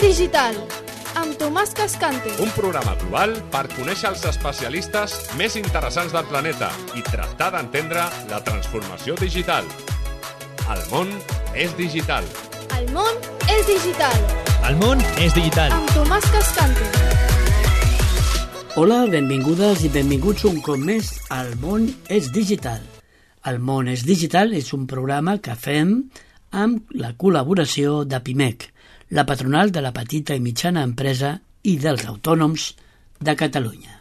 digital, amb Tomàs Cascante. Un programa global per conèixer els especialistes més interessants del planeta i tractar d'entendre la transformació digital. El món és digital. El món és digital. El món és digital. Amb Tomàs Cascante. Hola, benvingudes i benvinguts un cop més al món és digital. El món és digital és un programa que fem amb la col·laboració de PIMEC, la patronal de la petita i mitjana empresa i dels autònoms de Catalunya.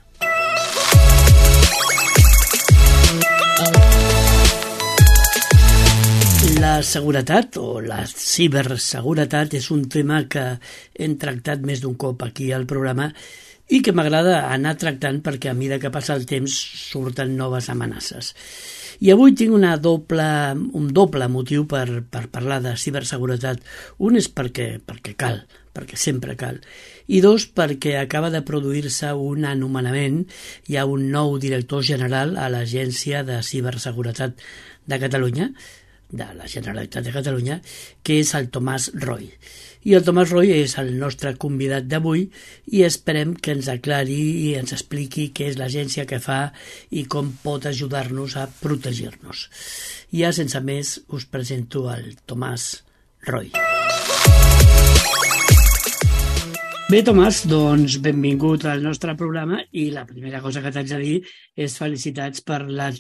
La seguretat o la ciberseguretat és un tema que hem tractat més d'un cop aquí al programa i que m'agrada anar tractant perquè a mesura que passa el temps surten noves amenaces. I avui tinc un doble motiu per parlar de ciberseguretat. Un és perquè cal, perquè sempre cal. I dos, perquè acaba de produir-se un anomenament. Hi ha un nou director general a l'Agència de Ciberseguretat de Catalunya, de la Generalitat de Catalunya, que és el Tomàs Roy. I el Tomàs Roy és el nostre convidat d'avui i esperem que ens aclari i ens expliqui què és l'agència que fa i com pot ajudar-nos a protegir-nos. Ja sense més us presento el Tomàs Roy. Bé, Tomàs, doncs benvingut al nostre programa i la primera cosa que t'haig de dir és felicitats per la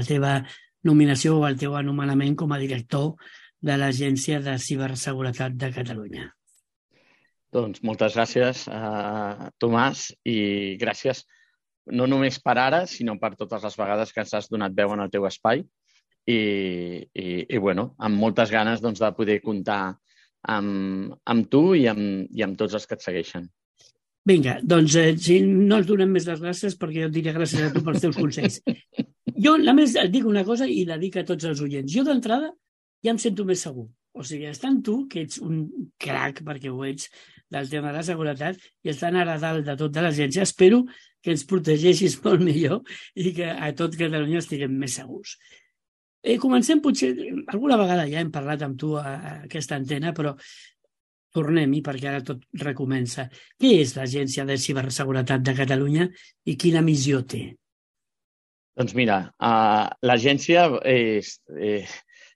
teva nominació o el teu anomenament com a director de l'Agència de Ciberseguretat de Catalunya. Doncs moltes gràcies, Tomàs, i gràcies no només per ara, sinó per totes les vegades que ens has donat veu en el teu espai i bueno, amb moltes ganes doncs, de poder comptar amb tu i amb tots els que et segueixen. Vinga, doncs si no ens donem més les gràcies perquè jo et diré gràcies a tu pels teus consells. Jo només et dic una cosa i la dic a tots els oients. Jo d'entrada ja em sento més segur. O sigui, estant tu, que ets un crac, perquè ho ets, del tema de la seguretat, i estant ara a dalt de tot de l'agència, espero que ens protegeixis molt millor i que a tot Catalunya estiguem més segurs. Comencem potser, alguna vegada ja hem parlat amb tu a aquesta antena, però tornem-hi perquè ara tot recomença. Què és l'Agència de Ciberseguretat de Catalunya i quina missió té? Doncs mira, l'agència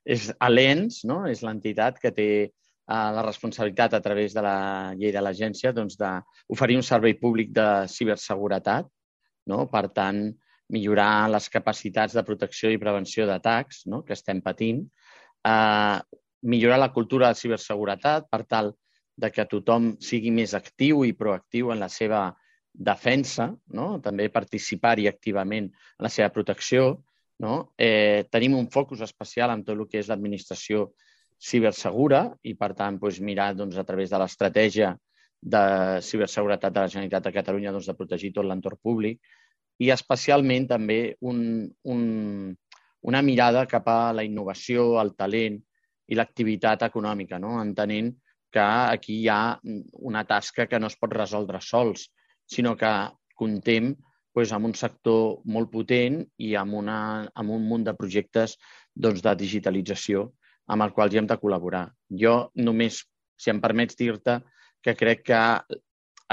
és l'ENS, no? És l'entitat que té la responsabilitat a través de la llei de l'agència doncs, d'oferir un servei públic de ciberseguretat, no? Per tant, millorar les capacitats de protecció i prevenció d'atacs, no? Que estem patint, millorar la cultura de ciberseguretat per tal de que tothom sigui més actiu i proactiu en la seva defensa, no? També participar-hi activament en la seva protecció. No? Tenim un focus especial en tot el que és l'administració cibersegura i, per tant, doncs, mirar doncs, a través de l'estratègia de ciberseguretat de la Generalitat de Catalunya doncs, de protegir tot l'entorn públic i especialment també una mirada cap a la innovació, el talent i l'activitat econòmica, no? Entenent que aquí hi ha una tasca que no es pot resoldre sols, sinó que contem amb un sector molt potent i amb un munt de projectes doncs, de digitalització amb el qual hi hem de col·laborar. Jo només, si em permets dir-te, que crec que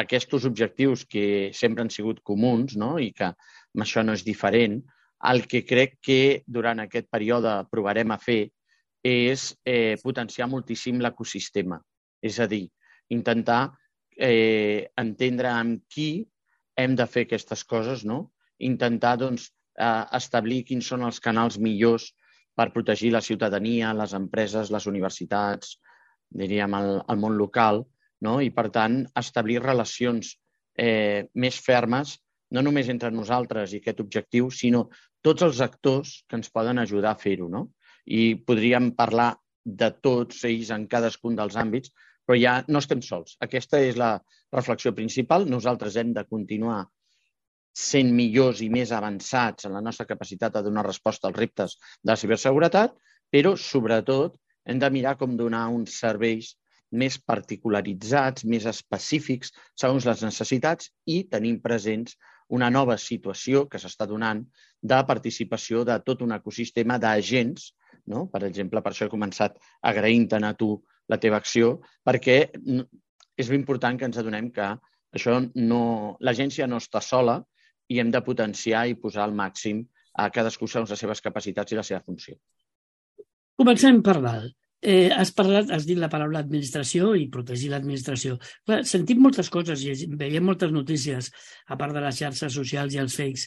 aquests objectius que sempre han sigut comuns, no? I que amb això no és diferent, el que crec que durant aquest període provarem a fer és potenciar moltíssim l'ecosistema. És a dir, intentar entendre amb qui hem de fer aquestes coses, no? Intentar doncs, establir quins són els canals millors per protegir la ciutadania, les empreses, les universitats, diríem el món local, no? I per tant establir relacions més fermes, no només entre nosaltres i aquest objectiu, sinó tots els actors que ens poden ajudar a fer-ho, no? I podríem parlar de tots ells en cadascun dels àmbits, però ja no estem sols. Aquesta és la reflexió principal. Nosaltres hem de continuar sent millors i més avançats en la nostra capacitat de donar resposta als reptes de la ciberseguretat, però, sobretot, hem de mirar com donar uns serveis més particularitzats, més específics, segons les necessitats, i tenim presents una nova situació que s'està donant de participació de tot un ecosistema d'agents, no? Per exemple, per això he començat agraint-te'n a tu la teva acció, perquè és important que ens adonem que l'agència no està sola i hem de potenciar i posar al màxim a cadascú segons les seves capacitats i la seva funció. Comencem per dalt. Has dit la paraula administració i protegir l'administració. Clar, sentim moltes coses i veiem moltes notícies, a part de les xarxes socials i els fakes,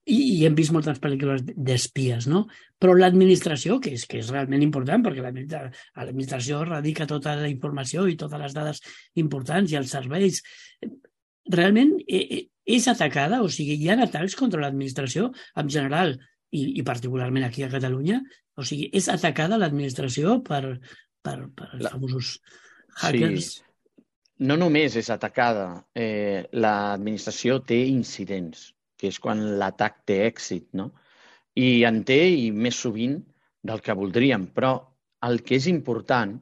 i hem vist moltes pel·lícules d'espies, no? Però l'administració, que és realment important, perquè l'administració radica tota la informació i totes les dades importants i els serveis, realment és atacada? O sigui, hi ha atacs contra l'administració en general i particularment aquí a Catalunya? O sigui, és atacada l'administració per els famosos hackers? Sí. No només és atacada, l'administració té incidents, que és quan l'atac té èxit, no? I en té, i més sovint del que voldríem, però el que és important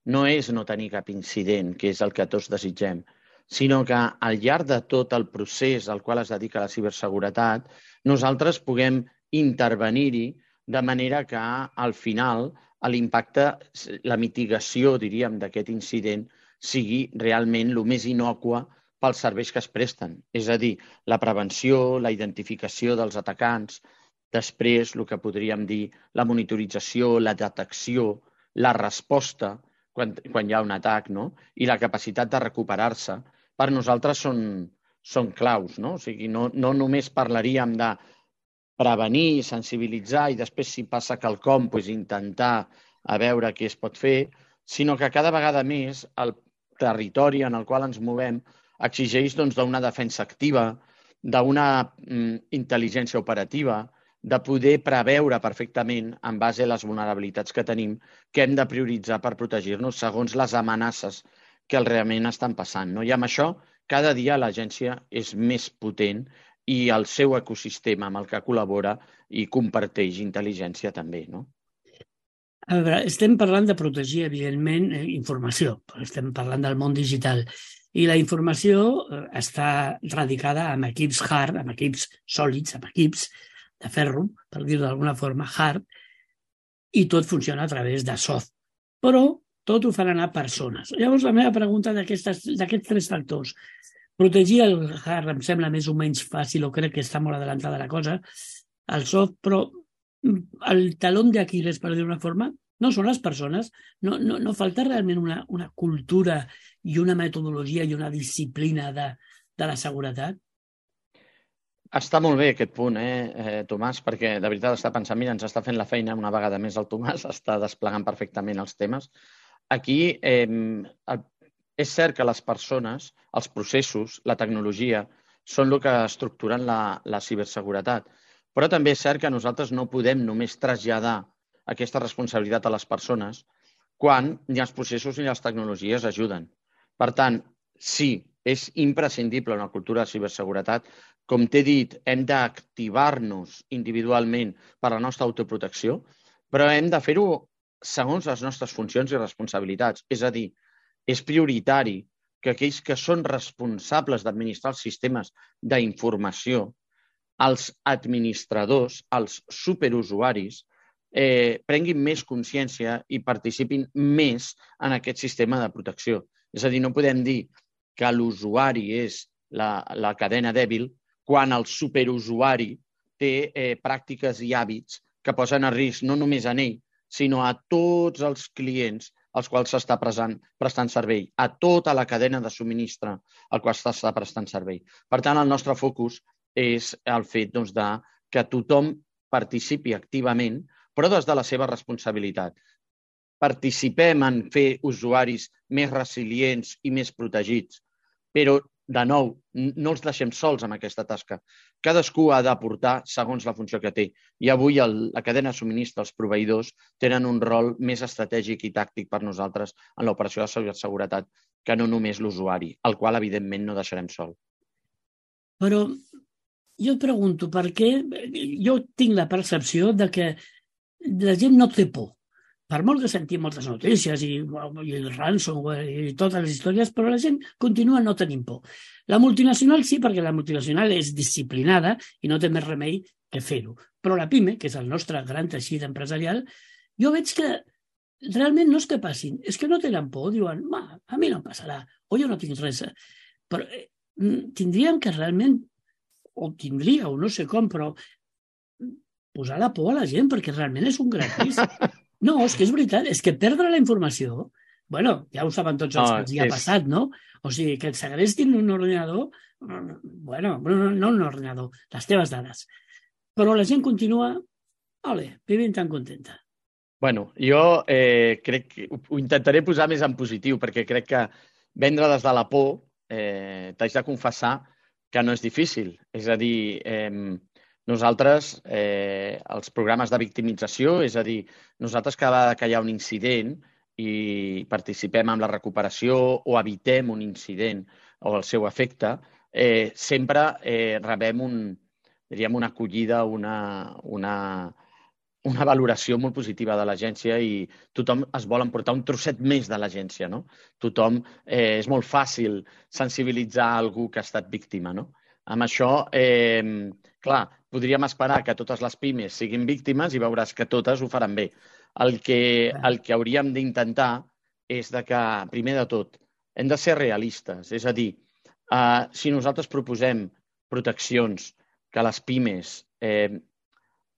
no és no tenir cap incident, que és el que tots desitgem, sinó que al llarg de tot el procés al qual es dedica la ciberseguretat, nosaltres puguem intervenir-hi de manera que al final l'impacte, la mitigació, diríem, d'aquest incident sigui realment el més innòcua pels serveis que es presten. És a dir, la prevenció, la identificació dels atacants, després el que podríem dir la monitorització, la detecció, la resposta quan hi ha un atac, no? I la capacitat de recuperar-se, per nosaltres són claus, no? O sigui, no només parlaríem de prevenir, sensibilitzar i després, si passa quelcom, intentar a veure què es pot fer, sinó que cada vegada més el territori en el qual ens movem exigeix d'una defensa activa, d'una intel·ligència operativa, de poder preveure perfectament, en base a les vulnerabilitats que tenim, que hem de prioritzar per protegir-nos segons les amenaces que realment estan passant. I amb això, cada dia l'agència és més potent i el seu ecosistema amb el que col·labora i comparteix intel·ligència també, no? A veure, estem parlant de protegir, evidentment, informació. Estem parlant del món digital. I la informació està radicada en equips hard, en equips sòlids, en equips de ferro, per dir-ho d'alguna forma, hard, i tot funciona a través de soft. Però tot ho fan anar persones. Llavors, la meva pregunta d'aquests 3 factors. Protegir el hard em sembla més o menys fàcil, o crec que està molt adelantada la cosa, el soft, però el talón d'Aquiles, per dir-ho d'una forma, no són les persones. No falta realment una cultura i una metodologia i una disciplina de la seguretat? Està molt bé aquest punt, Tomàs, perquè de veritat està pensant, mira, ens està fent la feina una vegada més el Tomàs, està desplegant perfectament els temes. Aquí és cert que les persones, els processos, la tecnologia, són el que estructuren la ciberseguretat, però també és cert que nosaltres no podem només traslladar aquesta responsabilitat a les persones quan ni els processos ni les tecnologies ajuden. Per tant, sí, és imprescindible una cultura de ciberseguretat. Com t'he dit, hem d'activar-nos individualment per a la nostra autoprotecció, però hem de fer-ho segons les nostres funcions i responsabilitats. És a dir, és prioritari que aquells que són responsables d'administrar els sistemes d'informació, els administradors, els superusuaris, prenguin més consciència i participin més en aquest sistema de protecció. És a dir, no podem dir que l'usuari és la cadena dèbil quan el superusuari té pràctiques i hàbits que posen a risc no només a ell, sinó a tots els clients als quals s'està prestant servei, a tota la cadena de subministre al qual s'està prestant servei. Per tant, el nostre focus és el fet que tothom participi activament, però des de la seva responsabilitat. Participem en fer usuaris més resilients i més protegits, però, de nou, no els deixem sols amb aquesta tasca. Cadascú ha d'aportar segons la funció que té. I avui la cadena de subministre, els proveïdors, tenen un rol més estratègic i tàctic per nosaltres en l'operació de ciberseguretat que no només l'usuari, el qual, evidentment, no deixarem sol. Però jo et pregunto, per què jo tinc la percepció de que la gent no té por. Per molt que sentim moltes notícies i el ransomware i totes les històries, però la gent continua no tenint por. La multinacional sí, perquè la multinacional és disciplinada i no té més remei que fer-ho. Però la PIME, que és el nostre gran teixit empresarial, jo veig que realment no és que passin, és que no tenen por, diuen, a mi no em passarà, o jo no tinc res. Però tindríem que realment, o tindríeu, no sé com, però posar la por a la gent, perquè realment és un gran risc. No, és que és veritat, és que perdre la informació, bueno, ja ho saben tots els que els hi ha passat, no? O sigui, que et segrestin un ordinador, bueno, no un ordinador, les teves dades. Però la gent continua, ole, vivint tan contenta. Bueno, jo crec que ho intentaré posar més en positiu, perquè crec que vendre des de la por, t'haig de confessar que no és difícil. És a dir, nosaltres, els programes de victimització, és a dir, nosaltres cada vegada que hi ha un incident i participem en la recuperació o evitem un incident o el seu efecte, sempre rebem una acollida, una valoració molt positiva de l'agència i tothom es vol emportar un trosset més de l'agència, no? Tothom, és molt fàcil sensibilitzar algú que ha estat víctima, no? Amb això, clar, podríem esperar que totes les pimes siguin víctimes i veuràs que totes ho faran bé. El que hauríem d'intentar és que, primer de tot, hem de ser realistes. És a dir, si nosaltres proposem proteccions que les pimes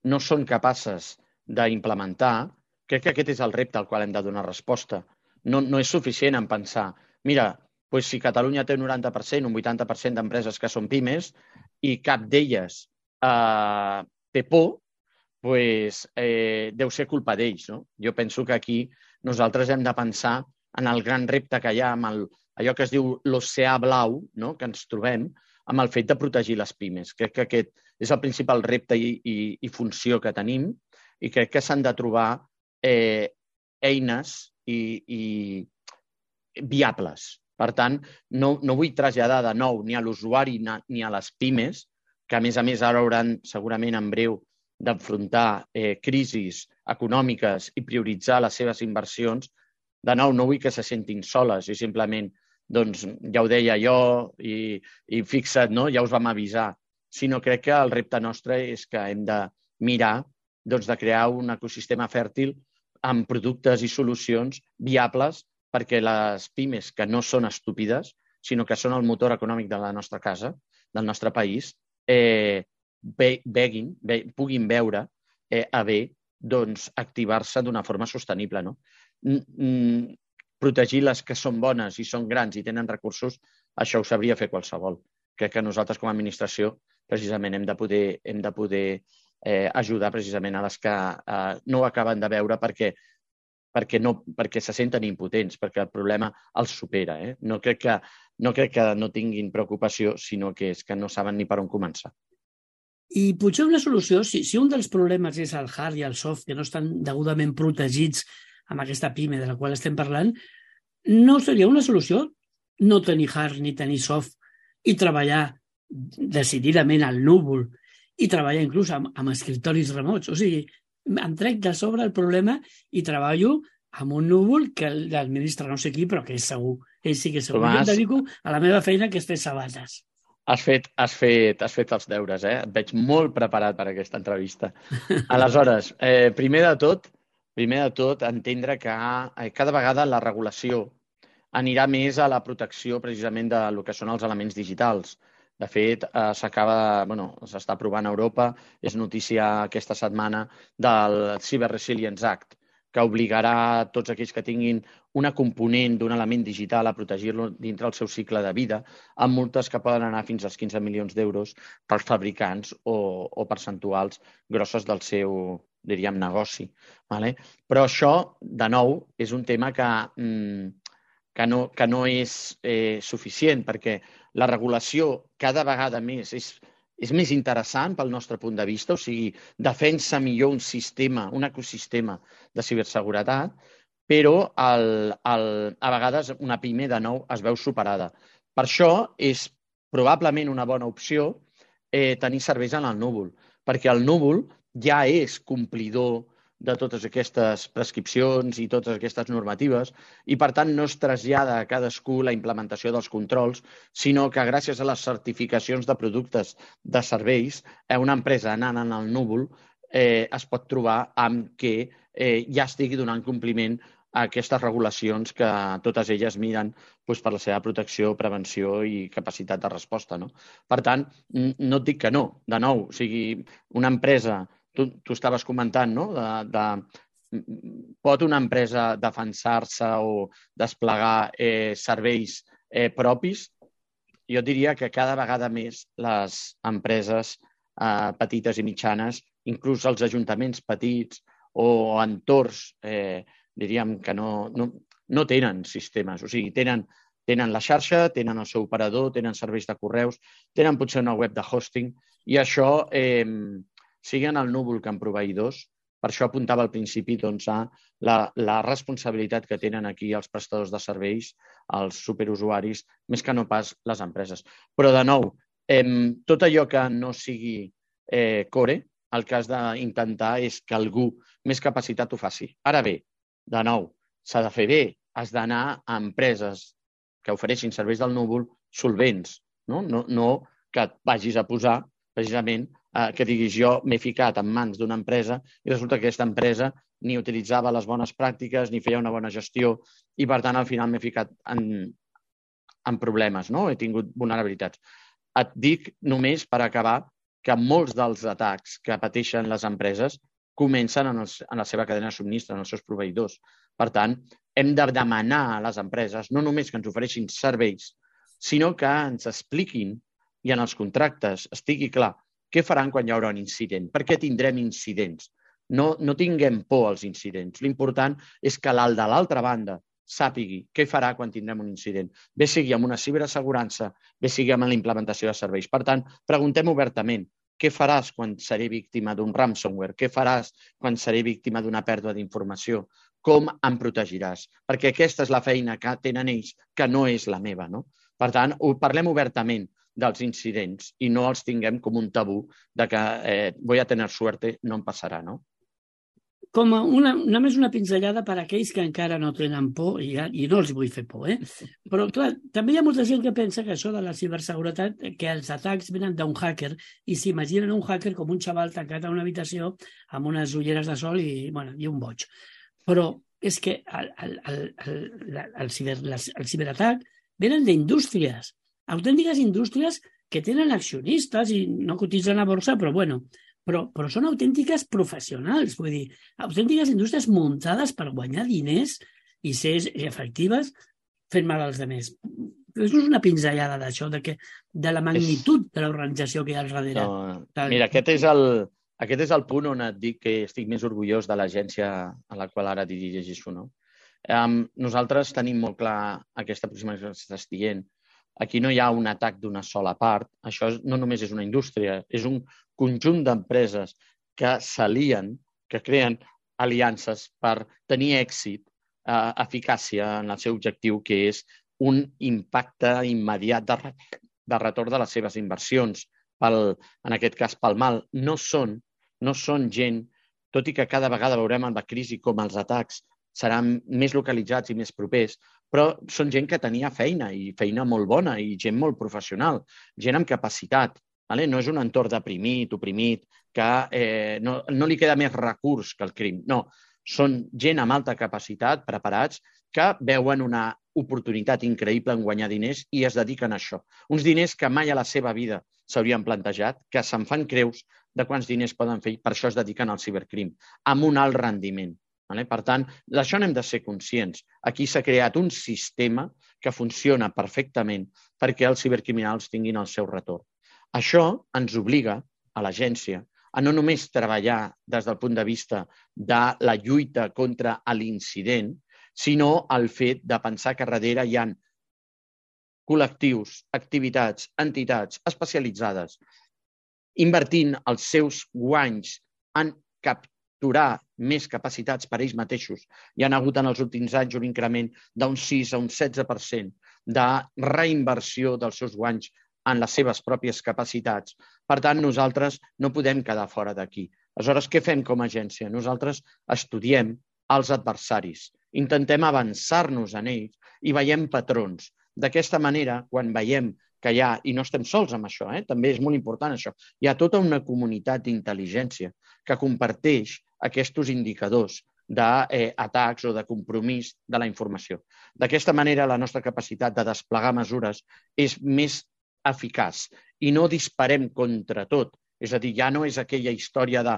no són capaces d'implementar, crec que aquest és el repte al qual hem de donar resposta. No és suficient en pensar, mira, doncs si Catalunya té un 90%, un 80% d'empreses que són pimes i cap d'elles té por, doncs deu ser culpa d'ells, no? Jo penso que aquí nosaltres hem de pensar en el gran repte que hi ha amb allò que es diu l'oceà blau, no?, que ens trobem, amb el fet de protegir les pimes. Crec que aquest és el principal repte i funció que tenim i crec que s'han de trobar eines viables. Per tant, no vull traslladar de nou ni a l'usuari ni a les pimes, que a més ara hauran segurament en breu d'enfrontar crisis econòmiques i prioritzar les seves inversions. De nou, no vull que se sentin soles i simplement, doncs, ja ho deia jo i fixa't, no? Ja us vam avisar. Sinó crec que el repte nostre és que hem de mirar de crear un ecosistema fèrtil amb productes i solucions viables perquè les pimes, que no són estúpides, sinó que són el motor econòmic de la nostra casa, del nostre país, puguin veure a bé activar-se d'una forma sostenible. Protegir les que són bones i són grans i tenen recursos, això ho sabria fer qualsevol. Crec que nosaltres com a administració precisament hem de poder ajudar precisament a les que no ho acaben de veure perquè se senten impotents, perquè el problema els supera. No crec que no tinguin preocupació, sinó que és que no saben ni per on començar. I potser una solució, si un dels problemes és el hard i el soft, que no estan degudament protegits amb aquesta pime de la qual estem parlant, no seria una solució no tenir hard ni tenir soft i treballar decididament al núvol i treballar inclús amb escriptoris remots. O sigui, em trec de sobre el problema i treballo amb un núvol que l'administra no sé qui, però que és segur. Ell sí que és segur. Jo em dedico a la meva feina, que és fer sabates. Has fet els deures, eh? Et veig molt preparat per a aquesta entrevista. Aleshores, primer de tot, entendre que cada vegada la regulació anirà més a la protecció precisament del que són els elements digitals. De fet, s'està aprovant a Europa, és notícia aquesta setmana del Cyber Resilience Act, que obligarà tots aquells que tinguin una component d'un element digital a protegir-lo dintre el seu cicle de vida, amb multes que poden anar fins als 15 milions d'euros pels fabricants o percentuals grosses del seu, diríem, negoci. Però això, de nou, és un tema que no és suficient, perquè la regulació cada vegada més és més interessant pel nostre punt de vista, o sigui, defensa millor un sistema, un ecosistema de ciberseguretat, però a vegades una pime de nou es veu superada. Per això és probablement una bona opció tenir serveis en el núvol, perquè el núvol ja és complidor de totes aquestes prescripcions i totes aquestes normatives i, per tant, no es trasllada a cadascú la implementació dels controls, sinó que gràcies a les certificacions de productes de serveis, una empresa anant en el núvol es pot trobar amb que ja estigui donant compliment a aquestes regulacions que totes elles miren per la seva protecció, prevenció i capacitat de resposta. No? Per tant, no et dic que no. De nou, o sigui, una empresa, tu estaves comentant, no? Pot una empresa defensar-se o desplegar serveis propis? Jo diria que cada vegada més les empreses petites i mitjanes, inclús els ajuntaments petits o entorns, diríem que no tenen sistemes. O sigui, tenen la xarxa, tenen el seu operador, tenen serveis de correus, tenen potser una web de hosting i això, sigui en el núvol que en proveïdors, per això apuntava al principi a la responsabilitat que tenen aquí els prestadors de serveis, els superusuaris, més que no pas les empreses. Però, de nou, tot allò que no sigui core, el que has d'intentar és que algú més capacitat ho faci. Ara bé, de nou, s'ha de fer bé, has d'anar a empreses que ofereixin serveis del núvol solvents, no que et vagis a posar, precisament, que diguis jo m'he ficat en mans d'una empresa i resulta que aquesta empresa ni utilitzava les bones pràctiques ni feia una bona gestió i, per tant, al final m'he ficat en problemes, no? He tingut vulnerabilitats. Et dic només per acabar que molts dels atacs que pateixen les empreses comencen en la seva cadena de subministre, en els seus proveïdors. Per tant, hem de demanar a les empreses no només que ens ofereixin serveis, sinó que ens expliquin i en els contractes estigui clar què faran quan hi haurà un incident, per què tindrem incidents. No tinguem por als incidents. L'important és que l'alt de l'altra banda sàpigui què farà quan tindrem un incident. Bé sigui amb una ciberassegurança, bé sigui amb la implementació de serveis. Per tant, preguntem obertament què faràs quan seré víctima d'un ransomware, què faràs quan seré víctima d'una pèrdua d'informació, com em protegiràs, perquè aquesta és la feina que tenen ells, que no és la meva. No? Per tant, parlem obertament dels incidents i no els tinguem com un tabú de que voy a tener suerte, no em passarà, no? Com només una pinzellada per a aquells que encara no tenen por i no els vull fer por, Però, clar, també hi ha molta gent que pensa que això de la ciberseguretat, que els atacs venen d'un hacker i s'imaginen un hacker com un xaval tancat a una habitació amb unes ulleres de sol i un boig. Però és que el ciberatac venen d'indústries, autèntiques indústries que tenen accionistes i no cotitzen a borsa, però són autèntiques professionals, vull dir, autèntiques indústries muntades per guanyar diners i ser efectives fent mal als altres. És una pinzellada d'això, de la magnitud de l'organització que hi ha al darrere. Mira, aquest és el punt on et dic que estic més orgullós de l'agència a la qual ara dirigeixo. No? Nosaltres tenim molt clar aquesta aproximació que estàs dient. Aquí no hi ha un atac d'una sola part. Això no només és una indústria, és un conjunt d'empreses que s'alien, que creen aliances per tenir èxit, eficàcia en el seu objectiu, que és un impacte immediat de retorn de les seves inversions, en aquest cas pel mal. No són gent, tot i que cada vegada veurem en la crisi com els atacs seran més localitzats i més propers, però són gent que tenia feina, i feina molt bona, i gent molt professional, gent amb capacitat. No és un entorn deprimit, oprimit, que no li queda més recurs que el crim. No, són gent amb alta capacitat, preparats, que veuen una oportunitat increïble en guanyar diners i es dediquen a això. Uns diners que mai a la seva vida s'haurien plantejat, que se'n fan creus de quants diners poden fer i per això es dediquen al cibercrim, amb un alt rendiment. Per tant, d'això n'hem de ser conscients. Aquí s'ha creat un sistema que funciona perfectament perquè els cibercriminals tinguin el seu retorn. Això ens obliga a l'agència a no només treballar des del punt de vista de la lluita contra l'incident, sinó el fet de pensar que darrere hi ha col·lectius, activitats, entitats especialitzades invertint els seus guanys en capturar més capacitats per ells mateixos. Hi ha hagut en els últims anys un increment d'un 6 a un 16% de reinversió dels seus guanys en les seves pròpies capacitats. Per tant, nosaltres no podem quedar fora d'aquí. Aleshores, què fem com a agència? Nosaltres estudiem els adversaris, intentem avançar-nos en ells i veiem patrons. D'aquesta manera, quan veiem que hi ha, i no estem sols amb això, també és molt important això, hi ha tota una comunitat d'intel·ligència que comparteix aquests indicadors d'atacs o de compromís de la informació. D'aquesta manera, la nostra capacitat de desplegar mesures és més eficaç i no disparem contra tot. És a dir, ja no és aquella història de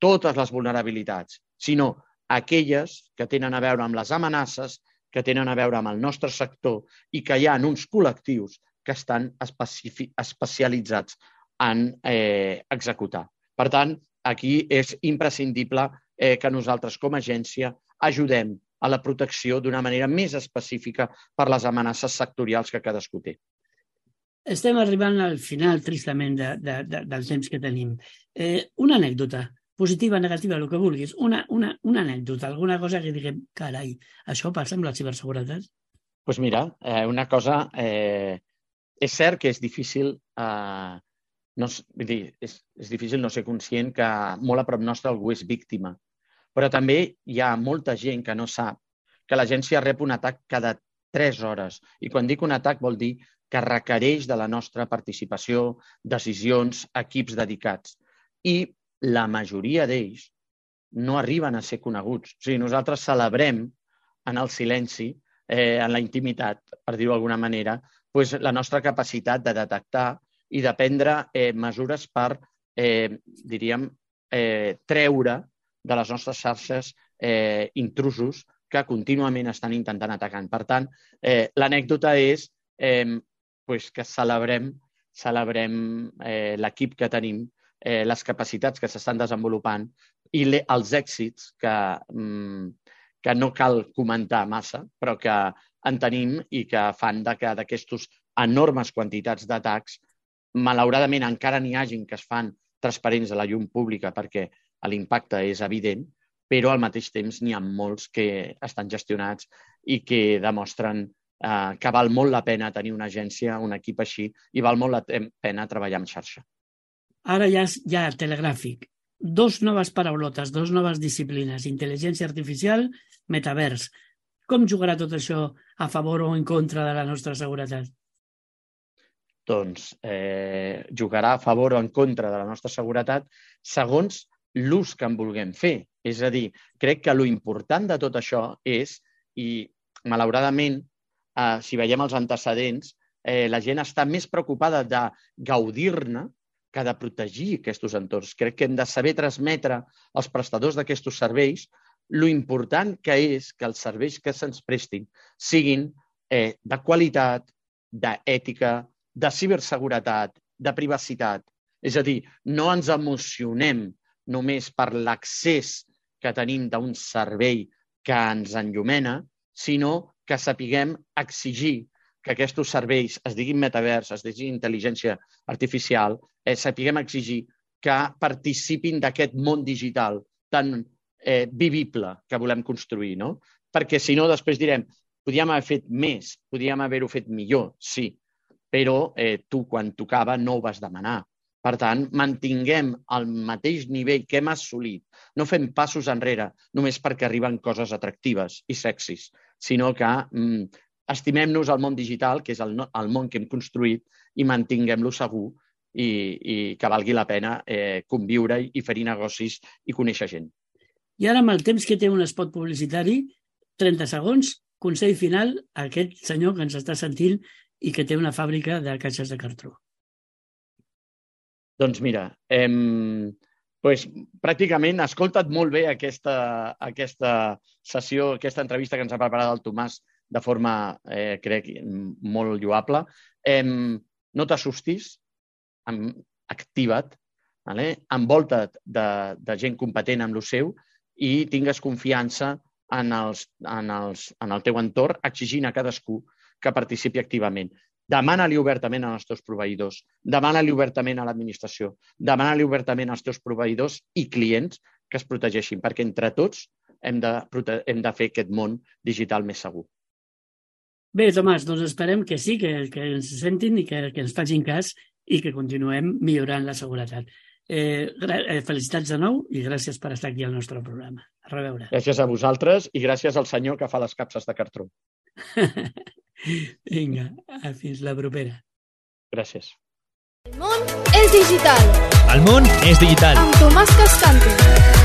totes les vulnerabilitats, sinó aquelles que tenen a veure amb les amenaces, que tenen a veure amb el nostre sector i que hi ha uns col·lectius que estan especialitzats en executar. Per tant, aquí és imprescindible que nosaltres com a agència ajudem a la protecció d'una manera més específica per les amenaces sectorials que cadascú té. Estem arribant al final, tristament, del temps que tenim. Una anècdota, positiva, negativa, el que vulguis, una anècdota, alguna cosa que diguem, carai, això passa amb la ciberseguretat? Doncs mira, una cosa... És cert que és difícil és difícil no ser conscient que molt a prop nostre algú és víctima, però també hi ha molta gent que no sap que l'agència rep un atac cada 3 hores. I quan dic un atac vol dir que requereix de la nostra participació, decisions, equips dedicats. I la majoria d'ells no arriben a ser coneguts. O sigui, nosaltres celebrem en el silenci, en la intimitat, per dir-ho d'alguna manera, la nostra capacitat de detectar i de prendre mesures per, diríem, treure de les nostres xarxes intrusos que contínuament estan intentant atacar. Per tant, l'anècdota és que celebrem l'equip que tenim, les capacitats que s'estan desenvolupant i els èxits que no cal comentar massa, però que en tenim i que fan que d'aquestes enormes quantitats d'atacs, malauradament encara n'hi hagin que es fan transparents a la llum pública perquè l'impacte és evident, però al mateix temps n'hi ha molts que estan gestionats i que demostren que val molt la pena tenir una agència, un equip així, i val molt la pena treballar en xarxa. Ara ja telegràfic. 2 noves paraulotes, 2 noves disciplines, intel·ligència artificial, metavers. Com jugarà tot això a favor o en contra de la nostra seguretat? Doncs jugarà a favor o en contra de la nostra seguretat segons l'ús que en vulguem fer. És a dir, crec que l'important de tot això és, i malauradament, si veiem els antecedents, la gent està més preocupada de gaudir-ne que de protegir aquests entorns. Crec que hem de saber transmetre als prestadors d'aquests serveis l'important que és que els serveis que se'ns prestin siguin de qualitat, d'ètica, de ciberseguretat, de privacitat. És a dir, no ens emocionem només per l'accés que tenim d'un servei que ens enllumena, sinó que sapiguem exigir que aquests serveis, es diguin metavers, es diguin intel·ligència artificial, sapiguem exigir que participin d'aquest món digital tan vivible que volem construir, no? Perquè si no, després direm, podíem haver fet més, podíem haver-ho fet millor, sí, però tu, quan tocava, no ho vas demanar. Per tant, mantinguem el mateix nivell que hem assolit. No fem passos enrere només perquè arriben coses atractives i sexis, sinó que estimem-nos el món digital, que és el món que hem construït, i mantinguem-lo segur i que valgui la pena conviure i fer-hi negocis i conèixer gent. I ara, amb el temps que té un spot publicitari, 30 segons, consell final a aquest senyor que ens està sentint i que té una fàbrica de caixes de cartró. Doncs mira, pràcticament ha escoltat molt bé aquesta sessió, aquesta entrevista que ens ha preparat el Tomàs de forma, crec, molt lloable. No t'assustis, activa't, envolta't de gent competent amb el seu i tingues confiança en el teu entorn, exigint a cadascú que participi activament. Demana-li obertament als teus proveïdors, demana-li obertament a l'administració, demana-li obertament als teus proveïdors i clients que es protegeixin, perquè entre tots hem de fer aquest món digital més segur. Bé, Tomàs, doncs esperem que sí, que ens sentin i que ens facin cas i que continuem millorant la seguretat. Felicitats de nou i gràcies per estar aquí al nostre programa. A reveure. Gràcies a vosaltres i gràcies al senyor que fa les capses de cartró. Vinga, fins la propera. Gràcies. El món és digital. El món és digital. Amb Tomàs Cascante.